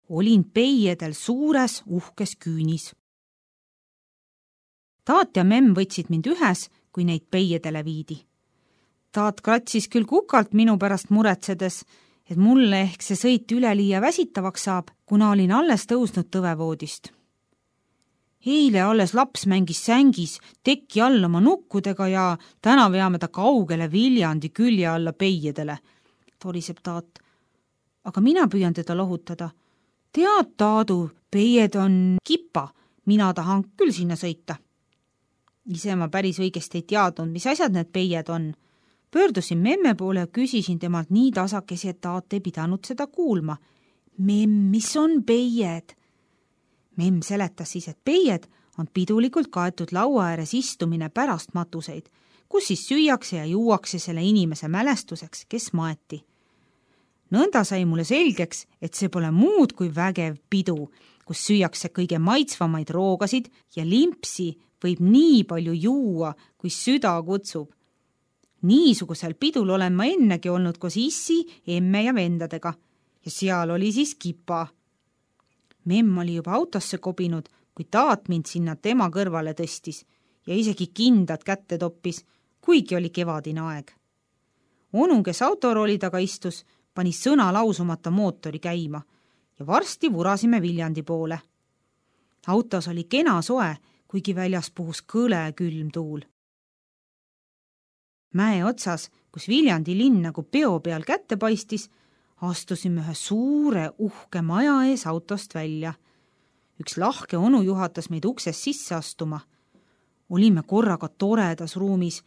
olin peiedel suures uhkes küünis. Taat ja memm võtsid mind ühes, kui neid peiedele viidi. Taat kratsis küll kukalt minu pärast muretsedes, et mulle ehk see sõit üleliia väsitavaks saab, kuna olin alles tõusnud tõvevoodist. Eile alles laps mängis sängis teki all oma nukkudega ja täna veame ta kaugele Viljandi külje alla peiedele, toriseb Taat. Aga mina püüan teda lohutada. Tead, Taadu, peied on kipa, mina tahan küll sinna sõita. Ise ma päris õigesti ei teadnud, mis asjad need peied on. Pöördusin memme poole ja küsisin temalt nii tasakesi, et Taat ei pidanud seda kuulma. Memm, mis on peied? Memm seletas siis, et peied on pidulikult kaetud laua ääres istumine pärast matuseid, kus siis süüakse ja juuakse selle inimese mälestuseks, kes maeti. Nõnda sai mulle selgeks, et see pole muud kui vägev pidu, kus süüakse kõige maitsvamaid roogasid ja limpsi võib nii palju juua, kui süda kutsub. Niisugusel pidul olen ma ennegi olnud koos issi, emme ja vendadega ja seal oli siis kipa. Memm oli juba autosse kobinud, kui Taat mind sinna tema kõrvale tõstis ja isegi kindad kätte toppis, kuigi oli kevadine aeg. Onu, kes autorooli taga istus, pani sõna lausumata mootori käima ja varsti vurasime Viljandi poole. Autos oli kena soe, kuigi väljas puhus kõle külm tuul. Mäe otsas, kus Viljandi linn nagu peo peal kätte paistis, astusime ühe suure uhke maja ees autost välja. Üks lahke onu juhatas meid uksest sisse astuma. Olime korraga toredas ruumis,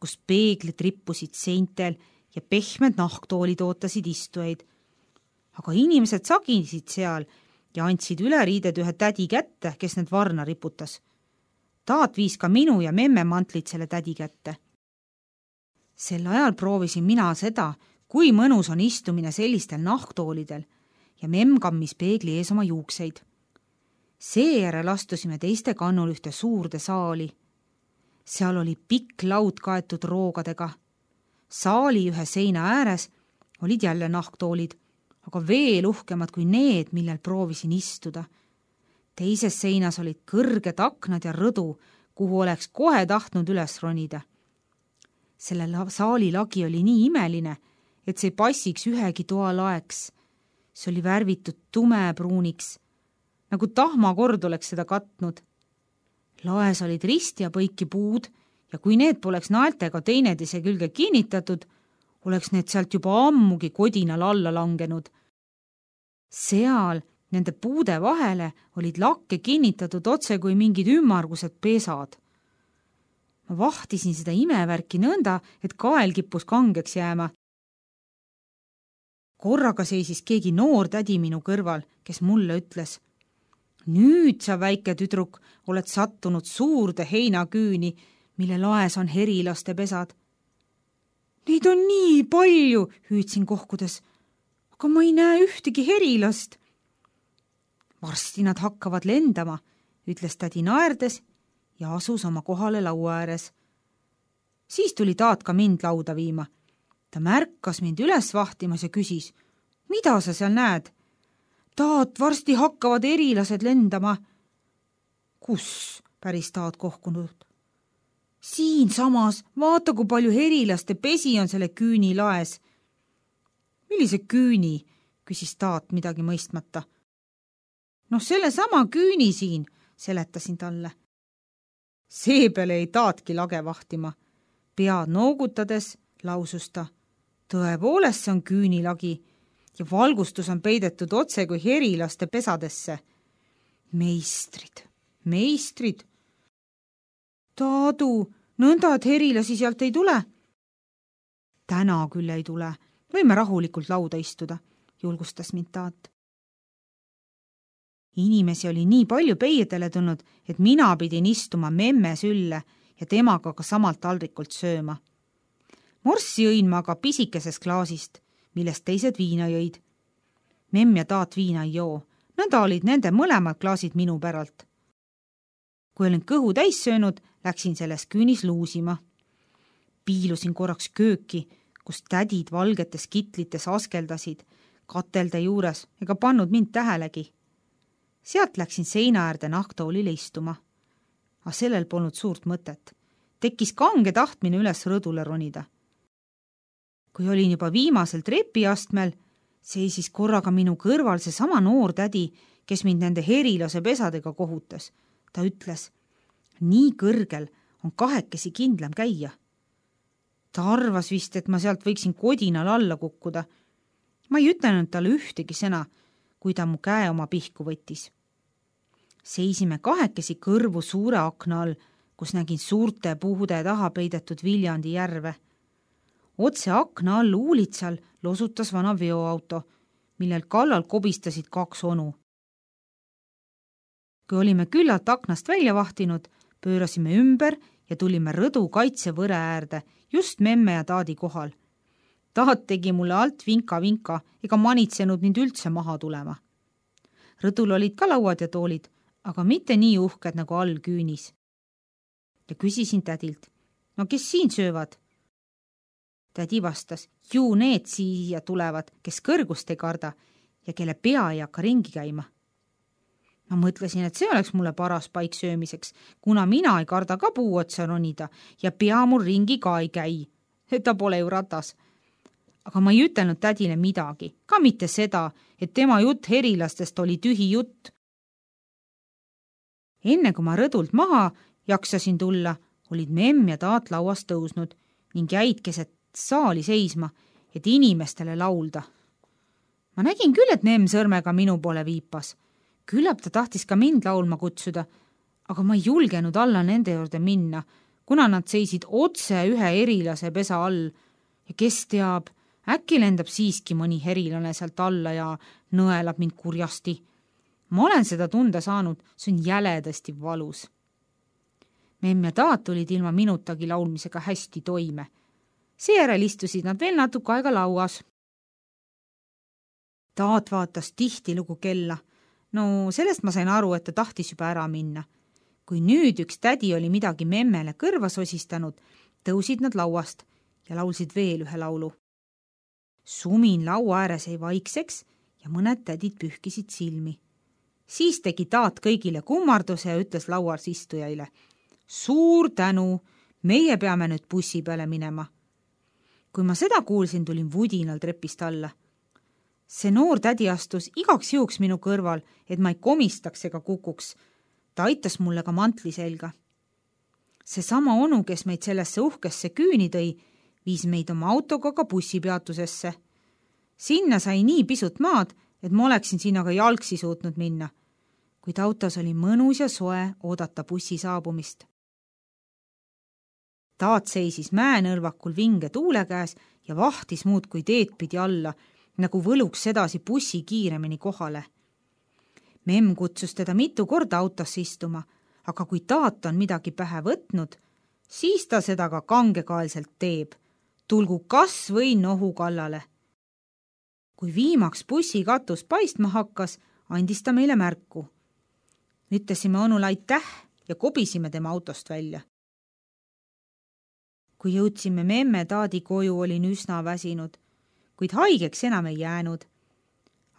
kus peeglid rippusid seintel ja pehmed nahktoolid ootasid istujaid. Aga inimesed sagisid seal ja andsid üleriided ühe tädi kätte, kes need varna riputas. Taat viis ka minu ja memme mantlid selle tädi kätte. Sel ajal proovisin mina seda, kui mõnus on istumine sellistel nahktoolidel ja memm kammis peegli ees oma juukseid. Seejärel astusime teiste kannul ühte suurde saali. Seal oli pikk laud kaetud roogadega. Saali ühe seina ääres olid jälle nahktoolid, aga veel uhkemad kui need, millel proovisin istuda. Teises seinas olid kõrged aknad ja rõdu, kuhu oleks kohe tahtnud üles ronida. Selle saali lagi oli nii imeline, et see passiks ühegi toa laeks. See oli värvitud tumepruuniks, nagu tahmakord oleks seda katnud. Laes olid risti ja põiki puud ja kui need poleks naeltega teineteise külge kinnitatud, oleks need sealt juba ammugi kodinal alla langenud. Seal nende puude vahele olid lakke kinnitatud otse kui mingid ümmargused pesad. Ma vahtisin seda imevärki nõnda, et kael kippus kangeks jääma. Korraga seisis keegi noor tädi minu kõrval, kes mulle ütles: nüüd sa, väike tüdruk, oled sattunud suurde heinaküüni, mille laes on herilaste pesad. Neid on nii palju, hüüdsin kohkudes, aga ma ei näe ühtegi herilast. Varsti nad hakkavad lendama, ütles tädi naerdes ja asus oma kohale laua ääres. Siis tuli Taat ka mind lauda viima. Ta märkas mind üles vahtimas ja küsis: mida sa seal näed? Taat, varsti hakkavad erilased lendama. Kus? Päris Taat kohkunud. Siin samas, vaata kui palju herilaste pesi on selle küüni laes. Millise küüni? Küsis Taat midagi mõistmata. Noh, selle sama küüni siin, seletasin talle. Seepeale ei Taatki lage vahtima. Pead noogutades lausus ta: tõepoolest see on küünilagi ja valgustus on peidetud otse kui herilaste pesadesse. Meistrid. Taadu, nõnda, et herilasi sealt ei tule? Täna küll ei tule. Võime rahulikult lauda istuda, julgustas mind Taat. Inimesi oli nii palju peiedele tulnud, et mina pidin istuma memme sülle ja temaga ka samalt taldrikult sööma. Morssi jõin ma aga pisikeses klaasist, millest teised viina jõid. Memm ja Taat viina ei joo, nõnda olid nende mõlemad klaasid minu päralt. Kui olin kõhu täis söönud, läksin selles küünis luusima. Piilusin korraks kööki, kus tädid valgetes kitlites askeldasid, katelde juures ega pannud mind tähelegi. Sealt läksin seina äärde nahktoolile istuma. Aga sellel polnud suurt mõtet. Tekkis kange tahtmine üles rõdule ronida. Kui olin juba viimasel trepiastmel, seisis korraga minu kõrval see sama noor tädi, kes mind nende herilase pesadega kohutas. Ta ütles, nii kõrgel on kahekesi kindlam käia. Ta arvas vist, et ma sealt võiksin kodinal alla kukkuda. Ma ei ütlenud talle ühtegi sõna, kui ta mu käe oma pihku võttis. Seisime kahekesi kõrvu suure akna all, kus nägin suurte puhude taha peidetud Viljandi järve. Otse akna all uulitsal losutas vana veoauto, millel kallal kobistasid 2 onu. Kui olime küllalt aknast välja vahtinud, pöörasime ümber ja tulime rõdu kaitsevõre äärde, just memme ja taadi kohal. Taat tegi mulle alt vinka ega manitsenud mind üldse maha tulema. Rõdul olid ka lauad ja toolid, aga mitte nii uhked nagu all küünis. Ja küsisin tädilt, no kes siin söövad? Tädi vastas, ju need siia tulevad, kes kõrgust ei karda ja kelle pea ei hakka ringi käima. Ma mõtlesin, et see oleks mulle paras paik söömiseks, kuna mina ei karda ka puu otsa ronida ja pea mul ringi ka ei käi. Ta pole ju ratas. Aga ma ei ütelnud tädile midagi, ka mitte seda, et tema jutt herilastest oli tühi jutt. Enne kui ma rõdult maha jaksasin tulla, olid memm ja taat lauast tõusnud ning jäid keset saali seisma, et inimestele laulda. Ma nägin küll, et memm sõrmega minu poole viipas. Küllap ta tahtis ka mind laulma kutsuda, aga ma ei julgenud alla nende juurde minna, kuna nad seisid otse ühe herilase pesa all ja kes teab, äkki lendab siiski mõni herilane sealt alla ja nõelab mind kurjasti. Ma olen seda tunda saanud, see on jäledasti valus. Memm ja taat tulid ilma minutagi laulmisega hästi toime. Seejärel istusid nad veel natuke aega lauas. Taat vaatas tihtilugu kella. No sellest ma sain aru, et ta tahtis juba ära minna. Kui nüüd üks tädi oli midagi memmele kõrva sosistanud, tõusid nad lauast ja laulsid veel ühe laulu. Sumin laua ääres jäi vaikseks ja mõned tädid pühkisid silmi. Siis tegi taat kõigile kummarduse ja ütles lauas istujaile. Suur tänu, meie peame nüüd bussi peale minema. Kui ma seda kuulsin, tulin vudinal trepist alla. See noor tädi astus igaks juhuks minu kõrval, et ma ei komistaks ega kukuks. Ta aitas mulle ka mantli selga. See sama onu, kes meid sellesse uhkesse küüni tõi, viis meid oma autoga ka bussipeatusesse. Sinna sai nii pisut maad, et ma oleksin sinna ka jalgsi suutnud minna. Kuid autos oli mõnus ja soe oodata bussi saabumist. Taat seisis mäenõrvakul vinge tuule käes ja vahtis muud kui teed pidi alla, nagu võluks sedasi bussi kiiremini kohale. Memm kutsus teda mitu korda autosse istuma, aga kui taat on midagi pähe võtnud, siis ta seda ka kangekaelselt teeb. Tulgu kas või nohu kallale. Kui viimaks bussi katus paistma hakkas, andis ta meile märku. Ütlesime onule aitäh ja kobisime tema autost välja. Kui jõudsime memme taadi koju, olin üsna väsinud, kuid haigeks enam ei jäänud.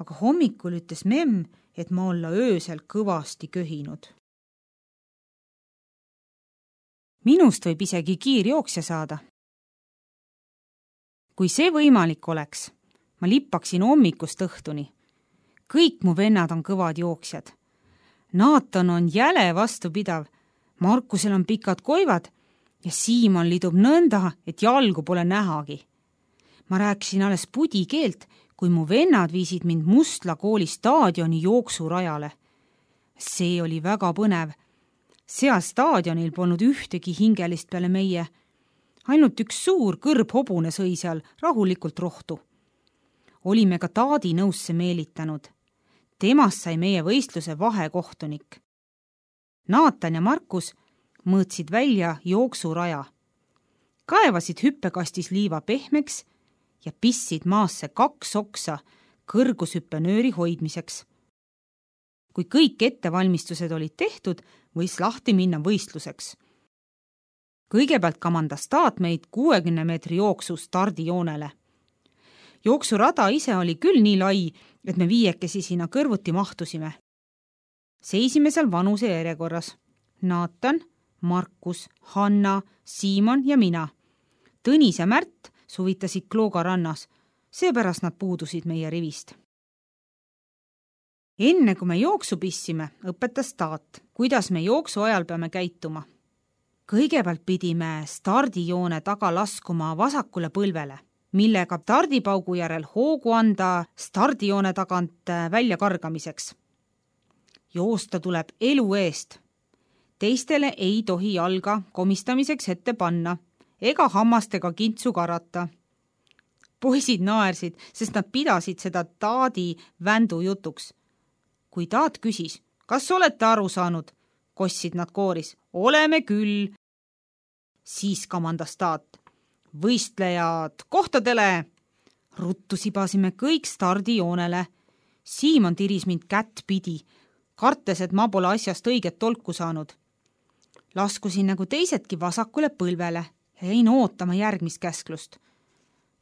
Aga hommikul ütles memm, et ma olla öösel kõvasti köhinud. Minust võib isegi kiirjooksja saada. Kui see võimalik oleks, ma lippaksin hommikust õhtuni. Kõik mu vennad on kõvad jooksjad. Naatan on jäle vastupidav, Markusel on pikad koivad ja Siimon lidub nõnda, et jalgu pole nähagi. Ma rääkisin alles pudi keelt, kui mu vennad viisid mind Mustla kooli staadioni jooksurajale. See oli väga põnev. Seal staadionil polnud ühtegi hingelist peale meie. Ainult üks suur kõrbhobune sõi seal rahulikult rohtu. Olime ka taadi nõusse meelitanud. Temast sai meie võistluse vahekohtunik. Naatan ja Markus mõõtsid välja jooksuraja. Kaevasid hüppekastis liiva pehmeks ja pissid maasse 2 oksa kõrgushüppenööri hoidmiseks. Kui kõik ettevalmistused olid tehtud, võis lahti minna võistluseks. Kõigepealt kamandas taat meid 60 meetri jooksu stardijoonele. Jooksurada ise oli küll nii lai, et me viiekesi sinna kõrvuti mahtusime. Seisime seal vanuse järjekorras. Naatan, Markus, Hanna, Siimon ja mina. Tõnis ja Märt suvitasid Klooga rannas, seepärast nad puudusid meie rivist. Enne kui me jooksu pissime, õpetas Taat, kuidas me jooksu ajal peame käituma. Kõigepealt pidime stardijoone taga laskuma vasakule põlvele, millega stardipaugu järel hoogu anda stardijoone tagant välja kargamiseks. Joosta tuleb elu eest. Teistele ei tohi jalga komistamiseks ette panna ega hammastega kintsu karata. Poisid naersid, sest nad pidasid seda Taadi vändu jutuks. Kui Taat küsis, kas olete aru saanud, kossid nad kooris. Oleme küll. Siis kamandas Taat. Võistlejad kohtadele. Ruttu sibasime kõik stardijoonele. Siimon tiris mind kätt pidi, kartes, et ma pole asjast õiget tolku saanud. Laskusin nagu teisedki vasakule põlvele ja jäin ootama järgmist käsklust.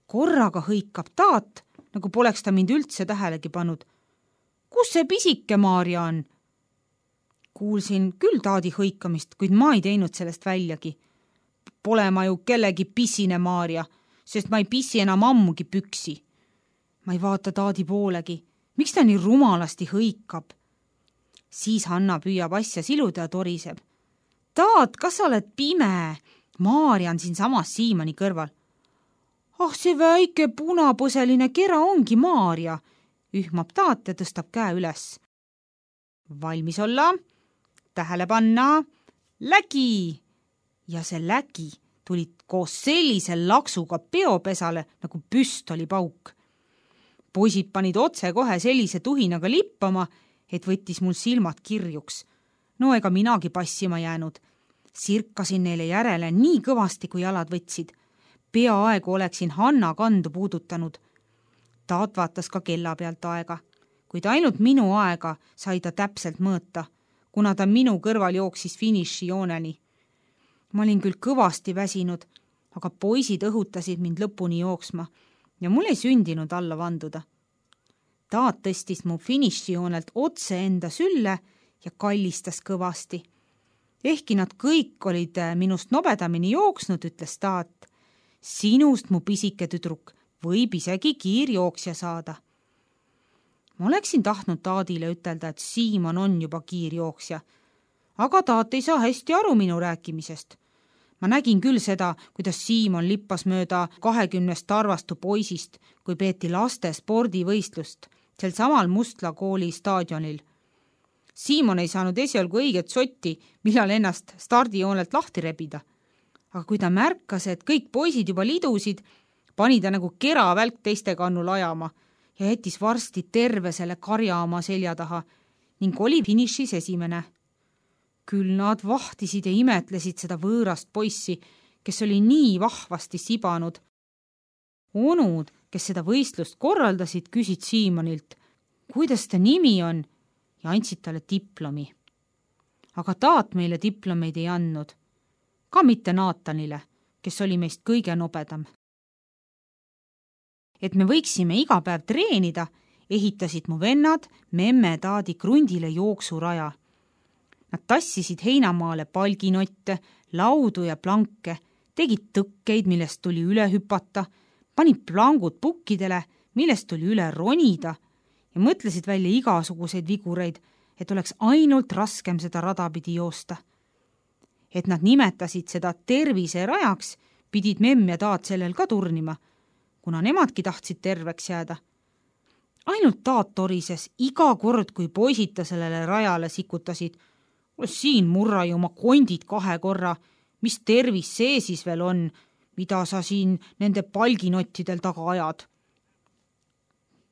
Korraga hõikab Taat, nagu poleks ta mind üldse tähelegi pannud. Kus see pisike Maarja on? Kuulsin küll Taadi hõikamist, kuid ma ei teinud sellest väljagi. Pole ma ju kellegi pissine Maarja, sest ma ei pissi enam ammugi püksi. Ma ei vaata Taadi poolegi. Miks ta nii rumalasti hõikab? Siis Hanna püüab asja siluda ja toriseb. Taat, kas sa oled pime? Maarja on siin samas Siimoni kõrval. Ah, see väike punapõseline kera ongi Maarja, ühmab Taat ja tõstab käe üles. Valmis olla, tähele panna, lägi! Ja see lägi tuli koos sellise laksuga peopesale nagu püstolipauk. Poisid panid otse kohe sellise tuhinaga lippama, et võttis mul silmad kirjuks. No ega minagi passima jäänud. Sirkasin neile järele nii kõvasti, kui jalad võtsid. Peaaegu oleksin Hanna kandu puudutanud. Taat vaatas ka kella pealt aega, kuid ainult minu aega sai ta täpselt mõõta, kuna ta minu kõrval jooksis finišijooneni. Ma olin küll kõvasti väsinud, aga poisid õhutasid mind lõpuni jooksma ja mul ei sündinud alla vanduda. Taat tõstis mu finišijoonelt otse enda sülle ja kallistas kõvasti. Ehkki nad kõik olid minust nobedamini jooksnud, ütles Taat. Sinust, mu pisike tüdruk, võib isegi kiirjooksja saada. Ma oleksin tahtnud Taadile ütelda, et Siimon on juba kiirjooksja, aga Taat ei saa hästi aru minu rääkimisest. Ma nägin küll seda, kuidas Siimon lippas mööda 20 tarvastu poisist, kui peeti laste spordivõistlust sel samal Mustla kooli staadionil. Siimon ei saanud esialgu õiget sotti, millal ennast stardijoonelt lahti rebida. Aga kui ta märkas, et kõik poisid juba lidusid, pani ta nagu keravälk teiste kannul ajama ja jättis varsti terve selle karja oma selja taha ning oli finišis esimene. Küll nad vahtisid ja imetlesid seda võõrast poissi, kes oli nii vahvasti sibanud. Onud, kes seda võistlust korraldasid, küsid Siimonilt, kuidas ta nimi on, ja andsid talle diplomi. Aga Taat meile diplomeid ei andnud. Ka mitte Naatanile, kes oli meist kõige nobedam. Et me võiksime iga päev treenida, ehitasid mu vennad memme Taadi krundile jooksuraja. Nad tassisid heinamaale palginotte, laudu ja planke, tegid tõkkeid, millest tuli üle hüpata, panid plangud pukkidele, millest tuli üle ronida ja mõtlesid välja igasuguseid vigureid, et oleks ainult raskem seda rada pidi joosta. Et nad nimetasid seda terviserajaks, pidid memm ja Taat sellel ka turnima, kuna nemadki tahtsid terveks jääda. Ainult Taat torises iga kord, kui poisid ta sellele rajale sikutasid. Siin murra ju oma kondid 2 korra, mis tervis see siis veel on, mida sa siin nende palginottidel taga ajad.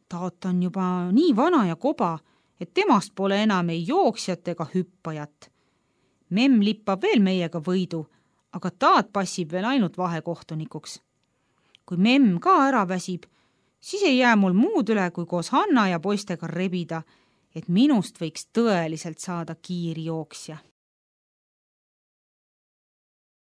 Taat on juba nii vana ja koba, et temast pole enam ei jooksjat ega hüppajat. Memm lippab veel meiega võidu, aga Taat passib veel ainult vahekohtunikuks. Kui memm ka ära väsib, siis ei jää mul muud üle, kui koos Hanna ja poistega rebida, et minust võiks tõeliselt saada kiirjooksja.